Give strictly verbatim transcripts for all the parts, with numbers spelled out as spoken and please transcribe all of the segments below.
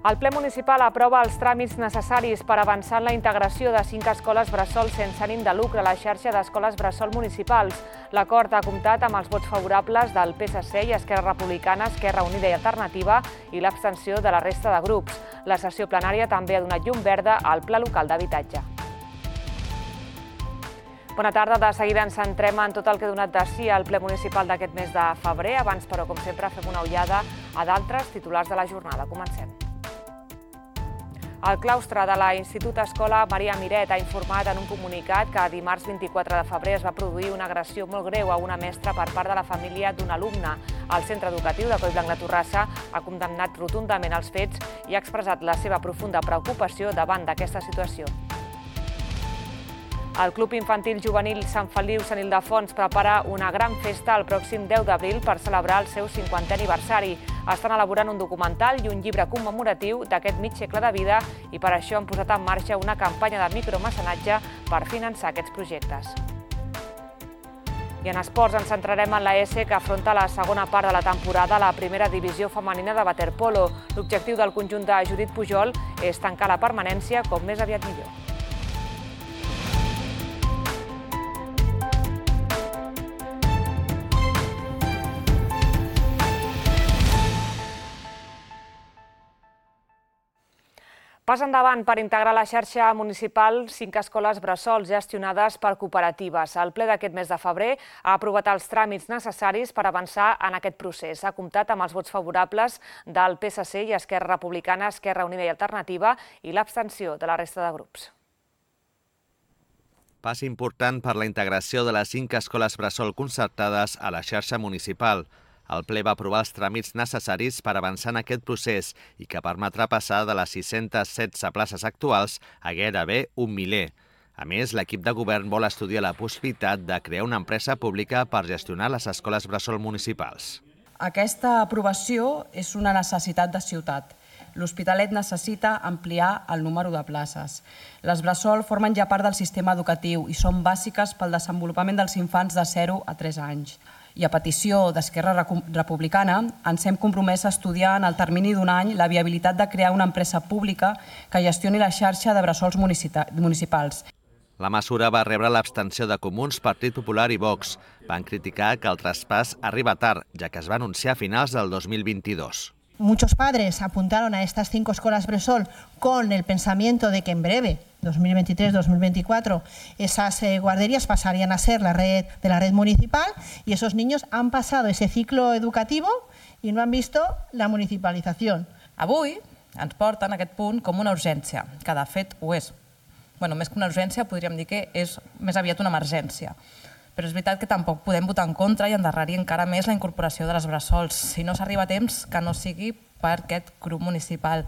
El ple municipal aprova els tràmits necessaris per avançar en la integració de cinc escoles bressol sense ànim de lucre a la xarxa d'escoles bressol municipals. L'acord ha comptat amb els vots favorables del P S C i Esquerra Republicana, Esquerra Unida i Alternativa i l'abstenció de la resta de grups. La sessió plenària també ha donat llum verda al Pla Local d'Habitatge. Bona tarda. De seguida ens centrem en tot el que ha donat de si al ple municipal d'aquest mes de febrer. Abans, però, com sempre, fem una ullada a d'altres titulars de la jornada. Comencem. El claustre de la Institut Escola Maria Miret ha informat en un comunicat que dimarts vint-i-quatre de febrer es va produir una agressió molt greu a una mestra per part de la família d'un alumne. El centre educatiu de Collblanc de Torrassa ha condemnat rotundament els fets i ha expressat la seva profunda preocupació davant d'aquesta situació. El Club Infantil Juvenil Sant Feliu Sant Ildefons prepara una gran festa el pròxim deu d'abril per celebrar el seu cinquantè aniversari. Estan elaborant un documental i un llibre commemoratiu d'aquest mig segle de vida i per això han posat en marxa una campanya de micromecenatge per finançar aquests projectes. I en esports ens centrarem en la ESE, que afronta la segona part de la temporada a la primera divisió femenina de waterpolo. L'objectiu del conjunt de Judit Pujol és tancar la permanència com més aviat millor. Pas endavant per integrar a la xarxa municipal cinc escoles bressol gestionades per cooperatives. El ple d'aquest mes de febrer ha aprovat els tràmits necessaris per avançar en aquest procés. Ha comptat amb els vots favorables del P S C i Esquerra Republicana, Esquerra Unida i Alternativa i l'abstenció de la resta de grups. Pas important per la integració de les cinc escoles bressol concertades a la xarxa municipal. El ple va aprovar els tràmits necessaris per avançar en aquest procés i que permetrà passar de les sis-centes setze places actuals a gairebé un miler. A més, l'equip de govern vol estudiar la possibilitat de crear una empresa pública per gestionar les escoles bressol municipals. Aquesta aprovació és una necessitat de ciutat. L'Hospitalet necessita ampliar el número de places. Les bressol formen ja part del sistema educatiu i són bàsiques pel desenvolupament dels infants de zero a tres anys. I a petició d'Esquerra Republicana ens hem compromès a estudiar en el termini d'un any la viabilitat de crear una empresa pública que gestioni la xarxa de bressols municipals. La mesura va rebre l'abstenció de Comuns, Partit Popular i Vox. Van criticar que el traspàs arriba tard, ja que es va anunciar a finals del dos mil veintidós. Muchos padres apuntaron a estas cinco escuelas Bressol con el pensamiento de que en breve, dos mil veintitrés dos mil veinticuatro, esas eh, guarderías pasarían a ser la red de la red municipal y esos niños han pasado ese ciclo educativo y no han visto la municipalización. Avui ens porten a aquest punt com una urgència, que de fet ho és. Bueno, més que una urgència podríem dir que és més aviat una emergència. Però és veritat que tampoc podem votar en contra i endarrerir encara més la incorporació de les bressols. Si no s'arriba a temps, que no sigui per aquest grup municipal.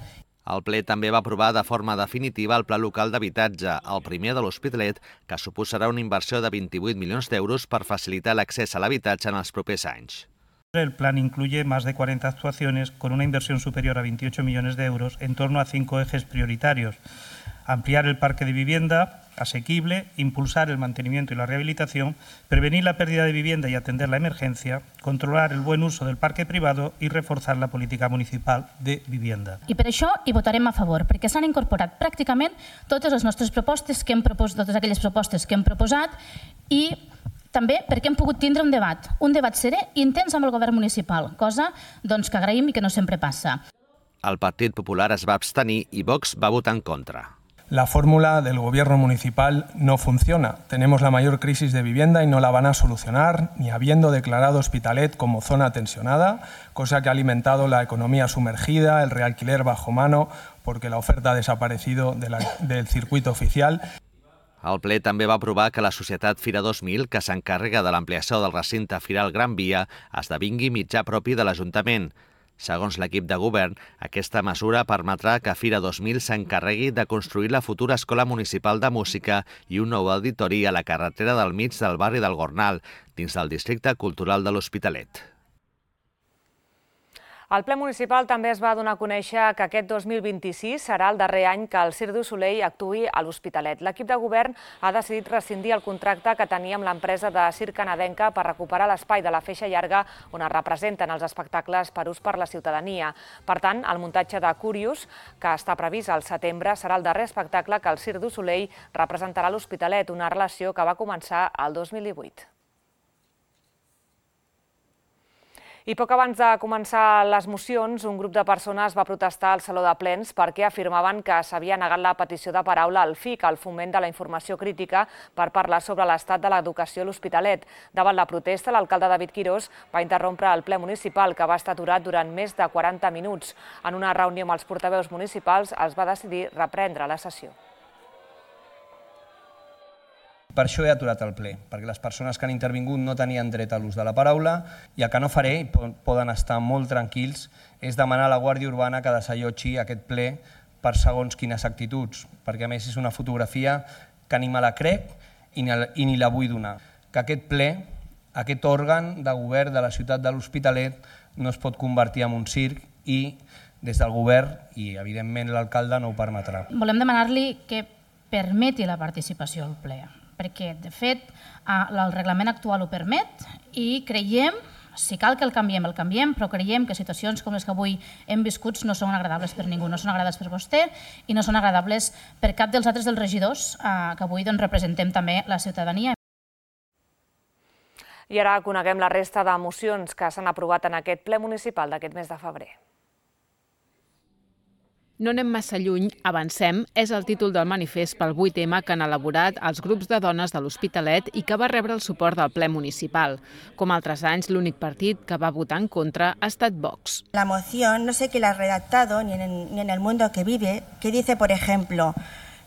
El ple també va aprovar de forma definitiva el Pla Local d'Habitatge, el primer de l'Hospitalet, que suposarà una inversió de vint-i-vuit milions d'euros per facilitar l'accés a l'habitatge en els propers anys. El plan incluye más de cuarenta actuaciones con una inversión superior a veintiocho millones de euros en torno a cinco ejes prioritarios. Ampliar el parque de vivienda asequible, impulsar el mantenimiento y la rehabilitación, prevenir la pérdida de vivienda y atender la emergencia, controlar el buen uso del parque privado y reforzar la política municipal de vivienda. I per això hi votarem a favor, perquè s'han incorporat pràcticament totes les nostres propostes, que hem propos, totes aquelles propostes que hem proposat i també perquè hem pogut tindre un debat, un debat serè i intens amb el govern municipal, cosa doncs, que agraïm i que no sempre passa. El Partit Popular es va abstenir i Vox va votar en contra. La fórmula del gobierno municipal no funciona. Tenemos la mayor crisis de vivienda y no la van a solucionar, ni habiendo declarado Hospitalet como zona tensionada, cosa que ha alimentado la economía sumergida, el realquiler bajo mano, porque la oferta ha desaparecido de la, del circuito oficial. El ple també va aprovar que la societat Fira dos mil, que s'encarrega de l'ampliació del recinte Firal Gran Via, esdevingui mitjà propi de l'Ajuntament. Segons l'equip de govern, aquesta mesura permetrà que Fira dos mil s'encarregui de construir la futura Escola Municipal de Música i un nou auditori a la carretera del mig del barri del Gornal, dins del districte cultural de l'Hospitalet. El ple municipal també es va donar a conèixer que aquest dos mil vint-i-sis serà el darrer any que el Cirque du Soleil actuï a l'Hospitalet. L'equip de govern ha decidit rescindir el contracte que tenia amb l'empresa de circ canadenca per recuperar l'espai de la feixa llarga on es representen els espectacles per ús per la ciutadania. Per tant, el muntatge de Curious, que està previst al setembre, serà el darrer espectacle que el Cirque du Soleil representarà a l'Hospitalet, una relació que va començar el dos mil divuit. I poc abans de començar les mocions, un grup de persones va protestar al Saló de Plens perquè afirmaven que s'havia negat la petició de paraula al F I C, el Foment de la Informació Crítica, per parlar sobre l'estat de l'educació a l'Hospitalet. Davant la protesta, l'alcalde David Quirós va interrompre el ple municipal, que va estar aturat durant més de quaranta minuts. En una reunió amb els portaveus municipals es va decidir reprendre la sessió. Per això he aturat el ple, perquè les persones que han intervingut no tenien dret a l'ús de la paraula i el que no faré, i poden estar molt tranquils, és demanar a la Guàrdia Urbana que desallotgi aquest ple per segons quines actituds, perquè a més és una fotografia que ni me la crec i ni la vull donar. Que aquest ple, aquest òrgan de govern de la ciutat de l'Hospitalet no es pot convertir en un circ i des del govern, i evidentment l'alcalde no ho permetrà. Volem demanar-li que permeti la participació al ple, perquè, de fet, el reglament actual ho permet i creiem, si cal que el canviem, el canviem, però creiem que situacions com les que avui hem viscut no són agradables per ningú, no són agradables per vostè i no són agradables per cap dels altres dels regidors que avui representem també la ciutadania. I ara coneguem la resta de mocions que s'han aprovat en aquest ple municipal d'aquest mes de febrer. No anem massa lluny, avancem, és el títol del manifest pel vuit eme que han elaborat els grups de dones de l'Hospitalet i que va rebre el suport del ple municipal. Com altres anys, l'únic partit que va votar en contra ha estat Vox. La moción, no sé quién la ha redactado, ni en, ni en el mundo que vive, que dice, por ejemplo,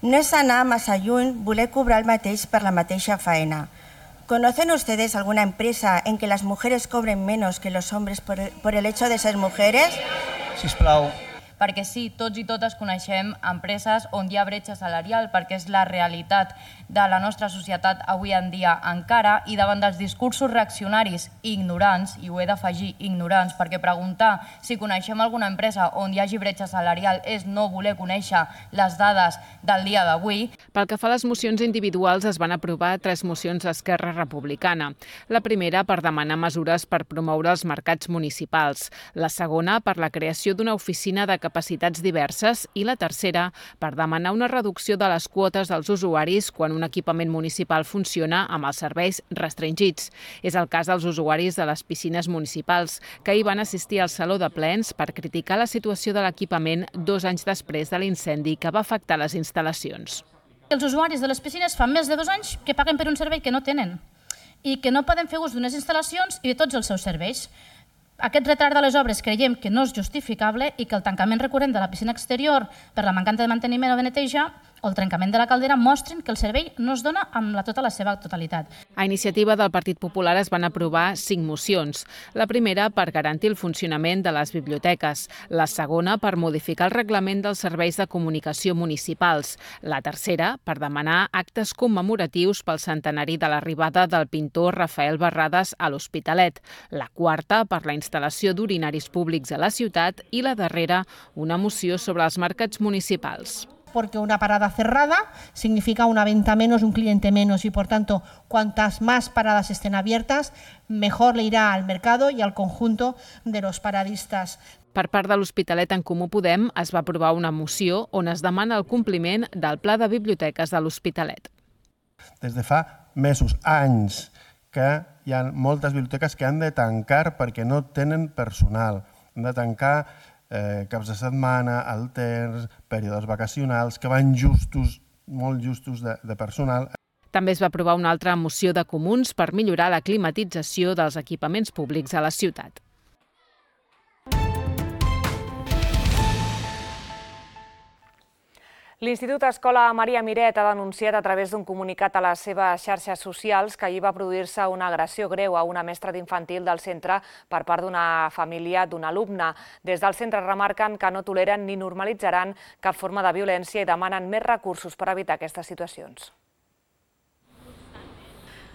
no és anar massa lluny voler cobrar el mateix per la mateixa faena. ¿Conocen ustedes alguna empresa en que las mujeres cobren menos que los hombres por, por el hecho de ser mujeres? Sisplau. Perquè sí, tots i totes coneixem empreses on hi ha bretxa salarial, perquè és la realitat de la nostra societat avui en dia encara, i davant dels discursos reaccionaris ignorants, i ho he d'afegir ignorants, perquè preguntar si coneixem alguna empresa on hi hagi bretxa salarial és no voler conèixer les dades del dia d'avui. Pel que fa a les mocions individuals, es van aprovar tres mocions d'Esquerra Republicana. La primera per demanar mesures per promoure els mercats municipals, la segona per la creació d'una oficina de capacitats diverses i la tercera per demanar una reducció de les quotes dels usuaris quan un equipament municipal funciona amb els serveis restringits. És el cas dels usuaris de les piscines municipals, que hi van assistir al Saló de Plens per criticar la situació de l'equipament dos anys després de l'incendi que va afectar les instal·lacions. Els usuaris de les piscines fa més de dos anys que paguen per un servei que no tenen i que no poden fer ús d'unes instal·lacions i de tots els seus serveis. Aquest retard de les obres creiem que no és justificable i que el tancament recurrent de la piscina exterior per la mancança de manteniment o de neteja o el trencament de la caldera mostren que el servei no es dona amb la, tota la seva totalitat. A iniciativa del Partit Popular es van aprovar cinc mocions. La primera per garantir el funcionament de les biblioteques, la segona per modificar el reglament dels serveis de comunicació municipals, la tercera per demanar actes commemoratius pel centenari de l'arribada del pintor Rafael Barrades a l'Hospitalet, la quarta per la instal·lació d'urinaris públics a la ciutat i la darrera una moció sobre els mercats municipals. Porque una parada cerrada significa una venta menos, un cliente menos y, por tanto, cuantas más paradas estén abiertas, mejor le irá al mercado y al conjunto de los paradistas. Per part de l'Hospitalet en Comú Podem es va aprovar una moció on es demana el compliment del Pla de Biblioteques de l'Hospitalet. Des de fa mesos, anys, que hi ha moltes biblioteques que han de tancar perquè no tenen personal. Han de tancar Eh, caps de setmana, alters, períodes vacacionals, que van justos, molt justos de, de personal. També es va aprovar una altra moció de comuns per millorar la climatització dels equipaments públics a la ciutat. L'Institut Escola Maria Miret ha denunciat a través d'un comunicat a les seves xarxes socials que ahir va produir-se una agressió greu a una mestra d'infantil del centre per part d'una família d'un alumne. Des del centre remarquen que no toleren ni normalitzaran cap forma de violència i demanen més recursos per evitar aquestes situacions.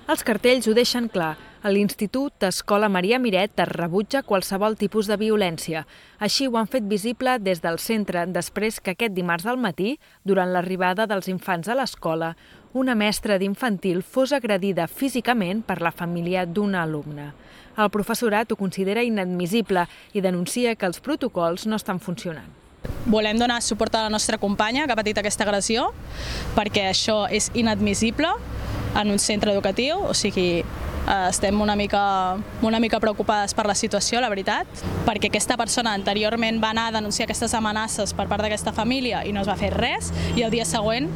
Els cartells ho deixen clar. A l'Institut Escola Maria Miret es rebutja qualsevol tipus de violència. Així ho han fet visible des del centre després que aquest dimarts al matí, durant l'arribada dels infants a l'escola, una mestra d'infantil fos agredida físicament per la família d'una alumna. El professorat ho considera inadmissible i denuncia que els protocols no estan funcionant. Volem donar suport a la nostra companya que ha patit aquesta agressió, perquè això és inadmissible en un centre educatiu, o sigui, estem una mica, una mica preocupades per la situació, la veritat, perquè aquesta persona anteriorment va anar a denunciar aquestes amenaces per part d'aquesta família i no es va fer res, i el dia següent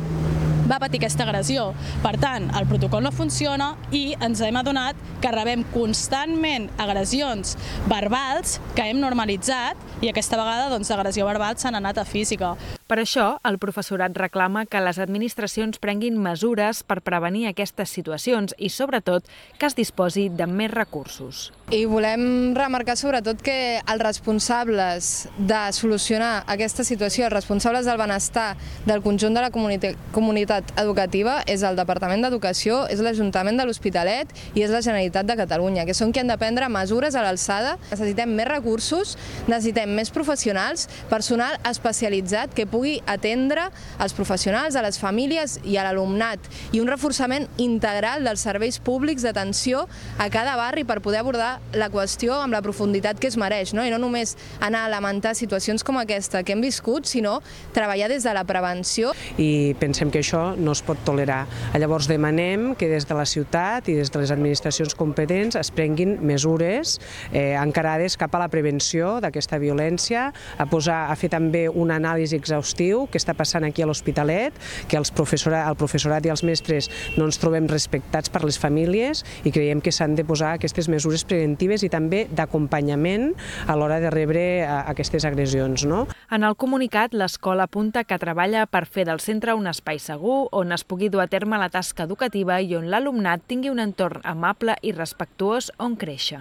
va patir aquesta agressió. Per tant, el protocol no funciona i ens hem adonat que rebem constantment agressions verbals que hem normalitzat i aquesta vegada doncs, l'agressió verbal s'ha anat a física. Per això, el professorat reclama que les administracions prenguin mesures per prevenir aquestes situacions i, sobretot, que es disposi de més recursos. I volem remarcar sobretot que els responsables de solucionar aquesta situació, els responsables del benestar del conjunt de la comunitat educativa és el Departament d'Educació, és l'Ajuntament de l'Hospitalet i és la Generalitat de Catalunya, que són qui han de prendre mesures a l'alçada. Necessitem més recursos, necessitem més professionals, personal especialitzat que pugui atendre els professionals, a les famílies i a l'alumnat, i un reforçament integral dels serveis públics d'atenció a cada barri per poder abordar la qüestió amb la profunditat que es mereix, no? I no només anar a lamentar situacions com aquesta que hem viscut, sinó treballar des de la prevenció. I pensem que això no es pot tolerar. Llavors demanem que des de la ciutat i des de les administracions competents es prenguin mesures eh, encarades cap a la prevenció d'aquesta violència, a, posar, a fer també una anàlisi exhaustiu que està passant aquí a l'Hospitalet, que els professorat, el professorat i els mestres no ens trobem respectats per les famílies i creiem que s'han de posar aquestes mesures preventives i també d'acompanyament a l'hora de rebre aquestes agressions. No? En el comunicat, l'escola apunta que treballa per fer del centre un espai segur on es pugui dur a terme la tasca educativa i on l'alumnat tingui un entorn amable i respectuós on créixer.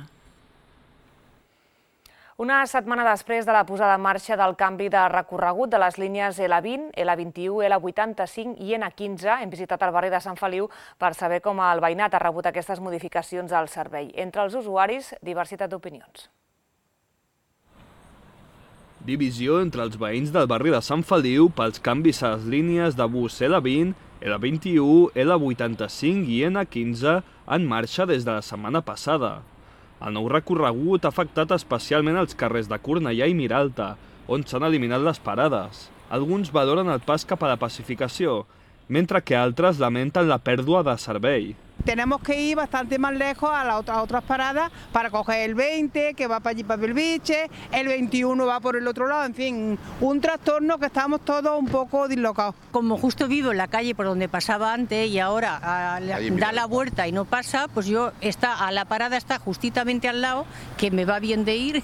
Una setmana després de la posada en marxa del canvi de recorregut de les línies L vint, L vint-i-u, L vuitanta-cinc i N quinze, hem visitat el barri de Sant Feliu per saber com el veïnat ha rebut aquestes modificacions al servei. Entre els usuaris, diversitat d'opinions. Divisió entre els veïns del barri de Sant Feliu pels canvis a les línies de bus L vint, L vint-i-u, L vuitanta-cinc i N quinze en marxa des de la setmana passada. El nou recorregut ha afectat especialment els carrers de Cornellà i Miralta, on s'han eliminat les parades. Alguns valoren el pas cap a la pacificació, mentre que altres lamenten la pèrdua de servei. Tenemos que ir bastante más lejos a, la otra, a otras paradas para coger el veinte, que va para allí para Belviche, el veintiuno va por el otro lado, en fin, un trastorno que estamos todos un poco dislocados. Como justo vivo en la calle por donde pasaba antes y ahora a, la, da la vuelta y no pasa, pues yo está a la parada está justamente al lado, que me va bien de ir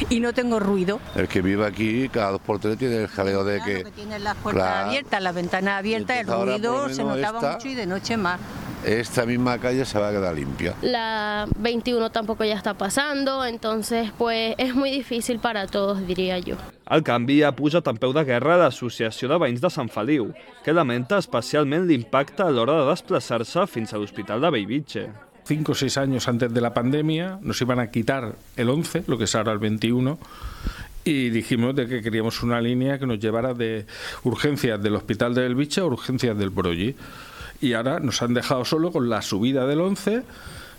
y no tengo ruido. El que vive aquí cada dos por tres tiene el jaleo de claro, que... que tiene las puertas claro, abiertas, las ventanas abiertas, el ruido se notaba esta, mucho y de noche más. Esta misma calle se va a quedar limpia. La veintiuno tampoco ya está pasando, entonces pues es muy difícil para todos, diría yo. El canvi ha pujat en peu de guerra a l'Associació de Veïns de Sant Feliu, que lamenta especialment l'impacte a l'hora de desplaçar-se fins a l'Hospital de Bellvitge. Cinco o seis años antes de la pandemia nos iban a quitar el once, lo que es ahora el veintiuno, y dijimos de que queríamos una línea que nos llevara de urgencias del Hospital de Bellvitge a urgencias del Broggi. Y ahora nos han dejado solo con la subida del once,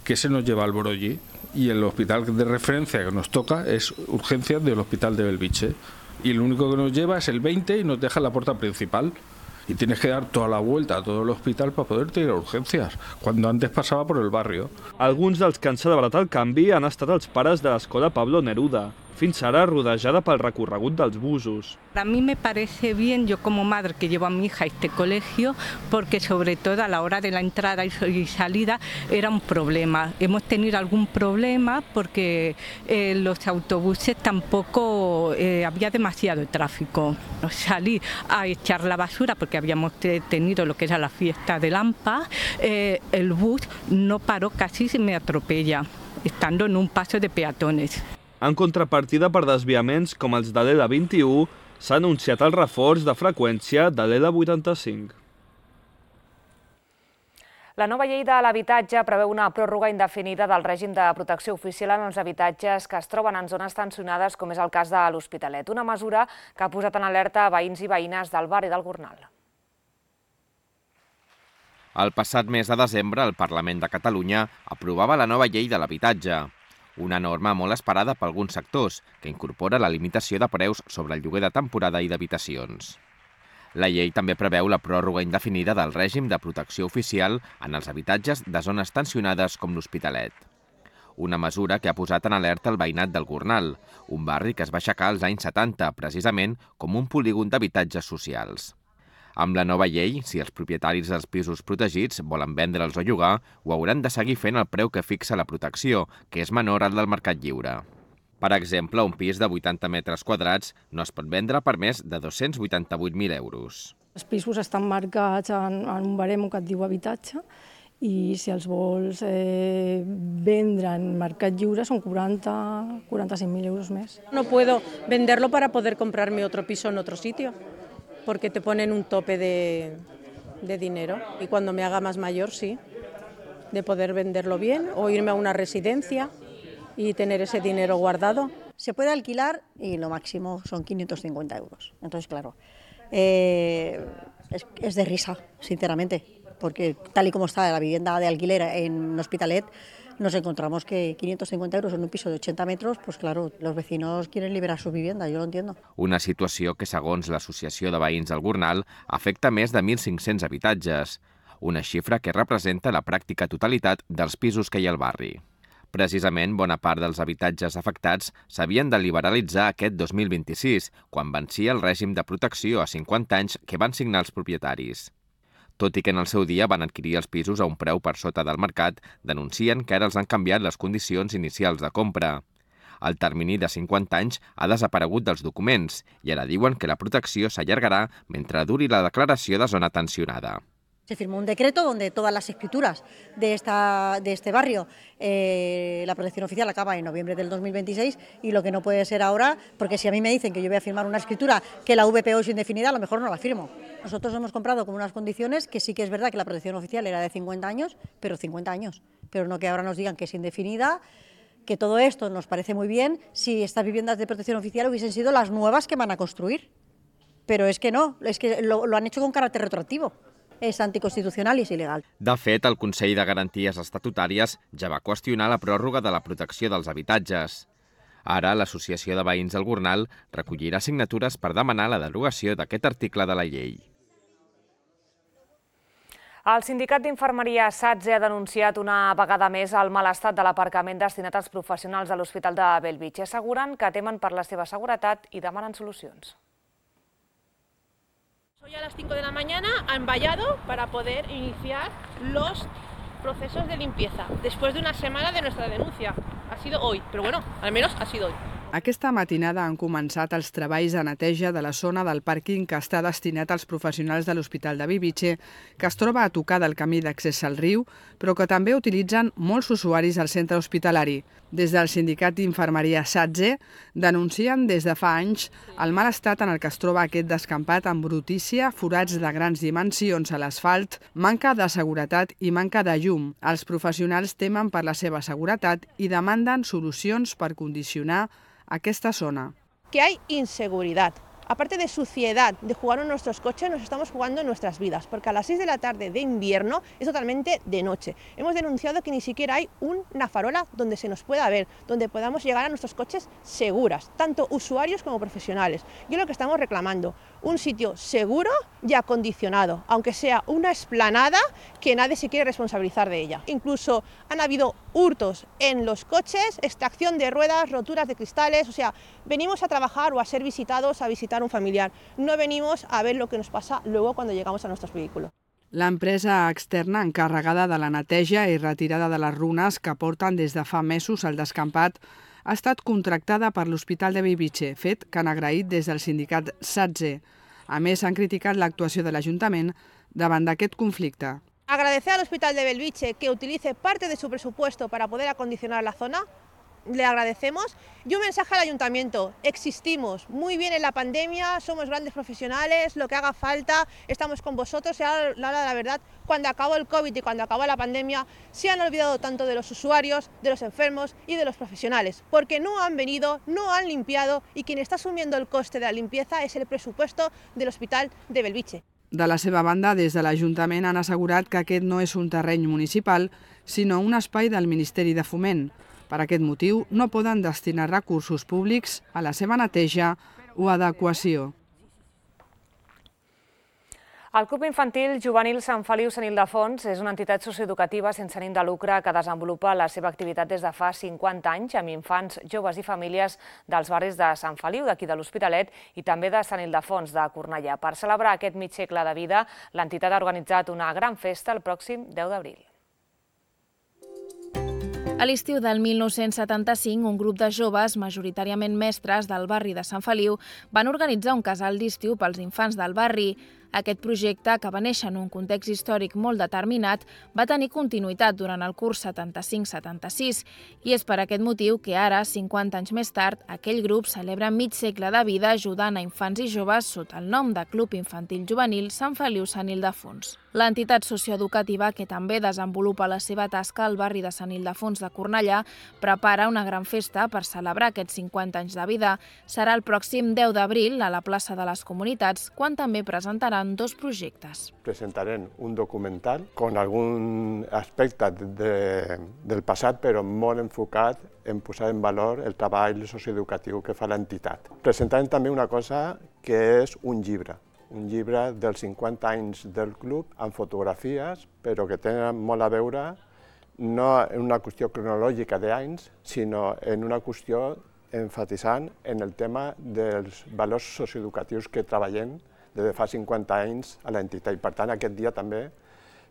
que se nos lleva al Broggi. Y el hospital de referencia que nos toca es urgencias del Hospital de Bellvitge. Y lo único que nos lleva es el veinte y nos deja la puerta principal. Y tienes que dar toda la vuelta a todo el hospital para poderte ir a urgencias, cuando antes pasaba por el barrio. Alguns dels que han celebrat el canvi han estat els pares de l'escola Pablo Neruda, fins ara rodejada pel recorregut dels busos. A mí me parece bien, yo como madre que llevo a mi hija a este colegio, porque sobre todo a la hora de la entrada y salida era un problema. Hemos tenido algún problema porque eh, los autobuses tampoco eh, había demasiado tráfico. Salí a echar la basura porque habíamos tenido lo que era la fiesta de Lampa, eh, el bus no paró, casi se me atropella, estando en un paso de peatones. En contrapartida per desviaments com els de l'L vint-i-u, s'ha anunciat el reforç de freqüència de l'L vuitanta-cinc. La nova llei de l'habitatge preveu una pròrroga indefinida del règim de protecció oficial en els habitatges que es troben en zones tensionades, com és el cas de l'Hospitalet, una mesura que ha posat en alerta veïns i veïnes del barri del Gornal. El passat mes de desembre, el Parlament de Catalunya aprovava la nova llei de l'habitatge, una norma molt esperada per alguns sectors, que incorpora la limitació de preus sobre el lloguer de temporada i d'habitacions. La llei també preveu la pròrroga indefinida del règim de protecció oficial en els habitatges de zones tensionades com l'Hospitalet. Una mesura que ha posat en alerta el veïnat del Gornal, un barri que es va aixecar als anys setanta, precisament com un polígon d'habitatges socials. Amb la nova llei, si els propietaris dels pisos protegits volen vendre'ls o llogar, ho hauran de seguir fent al preu que fixa la protecció, que és menor al del mercat lliure. Per exemple, un pis de vuitanta metres quadrats no es pot vendre per més de dos-cents vuitanta-vuit mil euros. Els pisos estan marcats en, en un baremo que et diu habitatge i si els vols eh, vendre en mercat lliure són quaranta a quaranta-cinc mil euros més. No puedo venderlo para poder comprarme otro piso en otro sitio, porque te ponen un tope de, de dinero y cuando me haga más mayor sí, de poder venderlo bien o irme a una residencia y tener ese dinero guardado. Se puede alquilar y lo máximo son quinientos cincuenta euros. Entonces, claro, eh, es, es de risa, sinceramente, porque tal y como está la vivienda de alquiler en Hospitalet, nos encontramos que quinientos cincuenta euros en un piso de ochenta metros, pues claro, los vecinos quieren liberar su vivienda, yo lo entiendo. Una situació que, segons l'Associació de Veïns del Gornal, afecta més de mil cinc-cents habitatges, una xifra que representa la pràctica totalitat dels pisos que hi ha al barri. Precisament, bona part dels habitatges afectats s'havien de liberalitzar aquest dos mil vint-i-sis, quan vencia el règim de protecció a cinquanta anys que van signar els propietaris. Tot i que en el seu dia van adquirir els pisos a un preu per sota del mercat, denuncien que ara els han canviat les condicions inicials de compra. El termini de cinquanta anys ha desaparegut dels documents i ara diuen que la protecció s'allargarà mentre duri la declaració de zona tensionada. Se firmó un decreto donde todas las escrituras de, esta, de este barrio, eh, la protección oficial acaba en noviembre del dos mil veintiséis y lo que no puede ser ahora, porque si a mí me dicen que yo voy a firmar una escritura que la V P O es indefinida, a lo mejor no la firmo. Nosotros hemos comprado con unas condiciones que sí que es verdad que la protección oficial era de cincuenta años, pero cincuenta años, pero no que ahora nos digan que es indefinida, que todo esto nos parece muy bien si estas viviendas de protección oficial hubiesen sido las nuevas que van a construir. Pero es que no, es que lo, lo han hecho con carácter retroactivo. És anticonstitucional i és il·legal. De fet, el Consell de Garanties Estatutàries ja va qüestionar la pròrroga de la protecció dels habitatges. Ara, l'Associació de Veïns del Gornal recollirà signatures per demanar la derogació d'aquest article de la llei. El sindicat d'infermeria SATSE ha denunciat una vegada més el mal estat de l'aparcament destinat als professionals de l'Hospital de Bellvitge. Asseguren que temen per la seva seguretat i demanen solucions. Hoy a las cinco de la mañana han vallado para poder iniciar los procesos de limpieza, después de una semana de nuestra denuncia. Ha sido hoy, pero bueno, al menos ha sido hoy. Aquesta matinada han començat els treballs de neteja de la zona del pàrquing que està destinat als professionals de l'Hospital de Bellvitge, que es troba a tocar del camí d'accés al riu, però que també utilitzen molts usuaris al centre hospitalari. Des del sindicat d'infermeria SATSE denuncien des de fa anys el mal estat en el que es troba aquest descampat amb brutícia, forats de grans dimensions a l'asfalt, manca de seguretat i manca de llum. Els professionals temen per la seva seguretat i demanden solucions per condicionar aquesta zona. Que hay inseguridad. Aparte de suciedad, de jugar en nuestros coches, nos estamos jugando en nuestras vidas, porque a las seis de la tarde de invierno es totalmente de noche. Hemos denunciado que ni siquiera hay una farola donde se nos pueda ver, donde podamos llegar a nuestros coches seguras, tanto usuarios como profesionales. Y es lo que estamos reclamando, un sitio seguro y acondicionado, aunque sea una explanada que nadie se quiere responsabilizar de ella. Incluso han habido hurtos en los coches, extracción de ruedas, roturas de cristales, o sea, venimos a trabajar o a ser visitados, a visitar un familiar. No venimos a ver lo que nos pasa luego cuando llegamos a nuestros vehículos. L'empresa externa encarregada de la neteja i retirada de les runes que porten des de fa mesos al descampat ha estat contractada per l'Hospital de Bellvitge, fet que han agraït des del sindicat SATSE. A més, han criticat l'actuació de l'Ajuntament davant d'aquest conflicte. Agradecer al Hospital de Bellvitge que utilice parte de su presupuesto para poder acondicionar la zona, le agradecemos. Y un mensaje al ayuntamiento: existimos muy bien en la pandemia, somos grandes profesionales, lo que haga falta, estamos con vosotros. Y ahora, la verdad, cuando acabó el COVID y cuando acabó la pandemia, se han olvidado tanto de los usuarios, de los enfermos y de los profesionales, porque no han venido, no han limpiado, y quien está asumiendo el coste de la limpieza es el presupuesto del Hospital de Bellvitge. De la seva banda, des de l'Ajuntament han assegurat que aquest no és un terreny municipal, sinó un espai del Ministeri de Foment. Per aquest motiu, no poden destinar recursos públics a la seva neteja o adequació. El Club Infantil Juvenil Sant Feliu Sant Ildefons és una entitat socioeducativa sense ànim de lucre que desenvolupa la seva activitat des de fa cinquanta anys amb infants, joves i famílies dels barris de Sant Feliu, d'aquí de l'Hospitalet, i també de Sant Ildefons, de Cornellà. Per celebrar aquest mig segle de vida, l'entitat ha organitzat una gran festa el pròxim deu d'abril. A l'estiu del mil nou-cents setanta-cinc, un grup de joves, majoritàriament mestres del barri de Sant Feliu, van organitzar un casal d'estiu pels infants del barri. Aquest projecte, que va néixer en un context històric molt determinat, va tenir continuïtat durant el curs setanta-cinc setanta-sis i és per aquest motiu que ara, cinquanta anys més tard, aquell grup celebra mig segle de vida ajudant a infants i joves sota el nom de Club Infantil Juvenil Sant Feliu Sant Ildefons. L'entitat socioeducativa, que també desenvolupa la seva tasca al barri de Sant Ildefons de Cornellà, prepara una gran festa per celebrar aquests cinquanta anys de vida. Serà el pròxim deu d'abril a la plaça de les Comunitats, quan també presentaran dos projectes. Presentarem un documental con algun aspecte de, del passat, però molt enfocat en posar en valor el treball socioeducatiu que fa l'entitat. Presentarem també una cosa que és un llibre, un llibre dels cinquanta anys del club amb fotografies, però que tenen molt a veure no en una qüestió cronològica d'anys, sinó en una qüestió enfatitzant en el tema dels valors socioeducatius que treballem des de fa cinquanta anys a l'entitat. I per tant, aquest dia també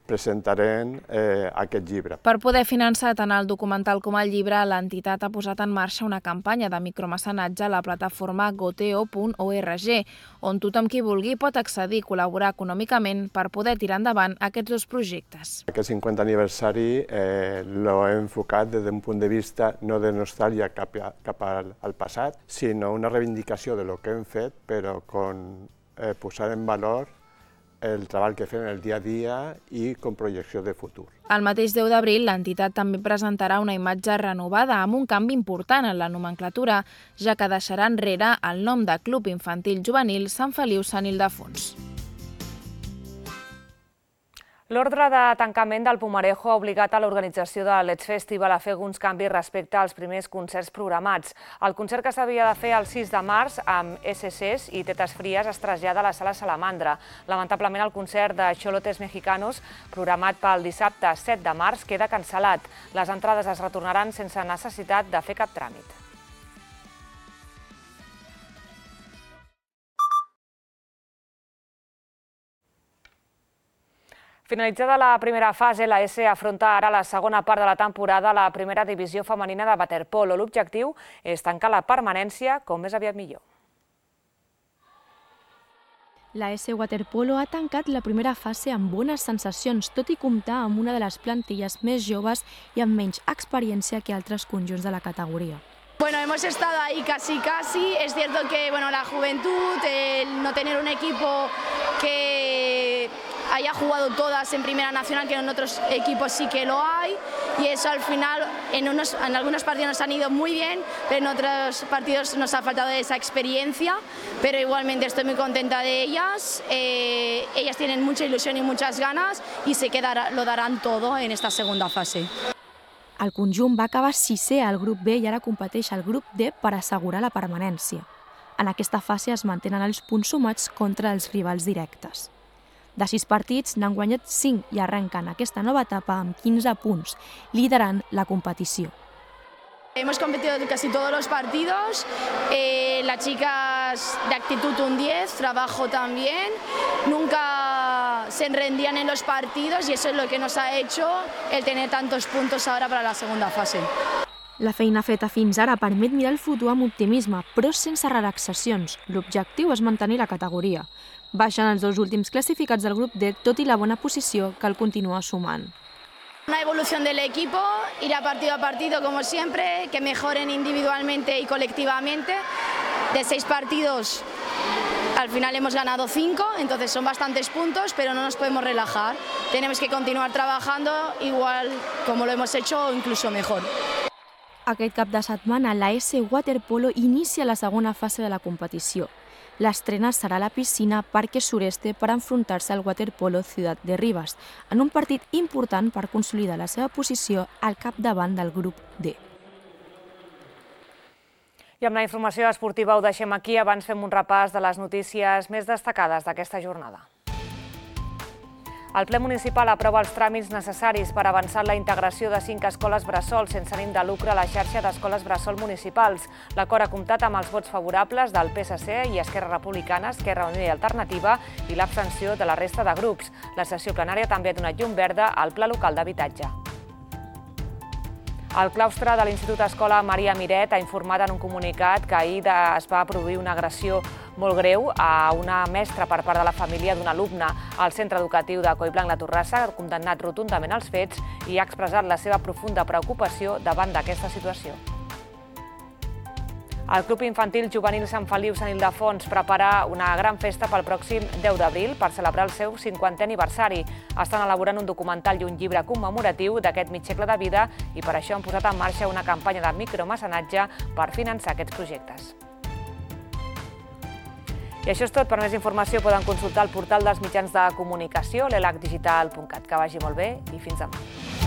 presentarem eh, aquest llibre. Per poder finançar tant el documental com el llibre, l'entitat ha posat en marxa una campanya de micromecenatge a la plataforma goteo punt org, on tothom qui vulgui pot accedir i col·laborar econòmicament per poder tirar endavant aquests dos projectes. Aquest cinquanta aniversari eh, l'he enfocat des d'un punt de vista no de nostàlgia cap, a, cap al, al passat, sinó una reivindicació de lo que hem fet, però con eh, posar en valor el treball que fem el dia a dia i com projecció de futur. El mateix deu d'abril, l'entitat també presentarà una imatge renovada amb un canvi important en la nomenclatura, ja que deixarà enrere el nom de Club Infantil Juvenil Sant Feliu Sant Ildefons. L'ordre de tancament del Pumarejo ha obligat a l'organització de Let's Festival a fer alguns canvis respecte als primers concerts programats. El concert que s'havia de fer el sis de març amb S Cs i Tetes Fries es trasllada a la Sala Salamandra. Lamentablement, el concert de Xolotes Mexicanos, programat pel dissabte set de març, queda cancel·lat. Les entrades es retornaran sense necessitat de fer cap tràmit. Finalitzada la primera fase, la S afronta ara la segona part de la temporada a la primera divisió femenina de waterpolo. L'objectiu és tancar la permanència com més aviat millor. La S Waterpolo ha tancat la primera fase amb bones sensacions, tot i comptar amb una de les plantilles més joves i amb menys experiència que altres conjunts de la categoria. Bueno, hemos estado ahí casi casi, es cierto que bueno, la juventud, el no tener un equipo que haya jugado todas en Primera Nacional, que en otros equipos sí que lo hay, y eso al final en, unos, en algunos partidos nos han ido muy bien, pero en otros partidos nos ha faltado esa experiencia, pero igualmente estoy muy contenta de ellas, eh, ellas tienen mucha ilusión y muchas ganas y sé que dar, lo darán todo en esta segunda fase. El conjunt va acabar sisè al grup B i ara competeix al grup D per assegurar la permanència. En aquesta fase es mantenen els punts sumats contra els rivals directes. De sis partits n'han guanyat cinc i arrenquen aquesta nova etapa amb quinze punts, liderant la competició. Hemos competido casi todos los partidos, eh, las chicas de actitud un diez, trabajo también, nunca se rendían en los partidos y eso es lo que nos ha hecho el tener tantos puntos ahora para la segunda fase. La feina feta fins ara permet mirar el futur amb optimisme, però sense relaxacions. L'objectiu és mantenir la categoria. Baixen els dos últims classificats del grup D, tot i la bona posició que el continua sumant. Una evolución del equipo, ir a partido a partido como siempre, que mejoren individualmente y colectivamente. De seis partidos, al final hemos ganado cinco, entonces son bastantes puntos, pero no nos podemos relajar. Tenemos que continuar trabajando igual como lo hemos hecho o incluso mejor. Aquest cap de setmana, la S Waterpolo inicia la segona fase de la competició. L'estrena serà a la piscina Parque Sureste per enfrontar-se al Waterpolo Ciutat de Rivas, en un partit important per consolidar la seva posició al capdavant del grup D. I amb la informació esportiva ho deixem aquí. Abans fem un repàs de les notícies més destacades d'aquesta jornada. El ple municipal aprova els tràmits necessaris per avançar en la integració de cinc escoles bressol sense ànim de lucre a la xarxa d'escoles bressol municipals. L'acord ha comptat amb els vots favorables del P S C i Esquerra Republicana, Esquerra Unida i Alternativa i l'abstenció de la resta de grups. La sessió plenària també ha donat llum verda al Pla Local d'Habitatge. El claustre de l'Institut Escola Maria Miret ha informat en un comunicat que ahir es va produir una agressió molt greu a una mestra per part de la família d'un alumne al centre educatiu de Collblanc la Torrassa, ha condemnat rotundament els fets i ha expressat la seva profunda preocupació davant d'aquesta situació. El Club Infantil Juvenil Sant Feliu Sant Ildefons prepara una gran festa pel pròxim deu d'abril per celebrar el seu cinquantè aniversari. Estan elaborant un documental i un llibre commemoratiu d'aquest mig segle de vida i per això han posat en marxa una campanya de micromecenatge per finançar aquests projectes. I això és tot. Per més informació poden consultar el portal dels mitjans de comunicació, l'elac digital punt cat. Que vagi molt bé i fins demà.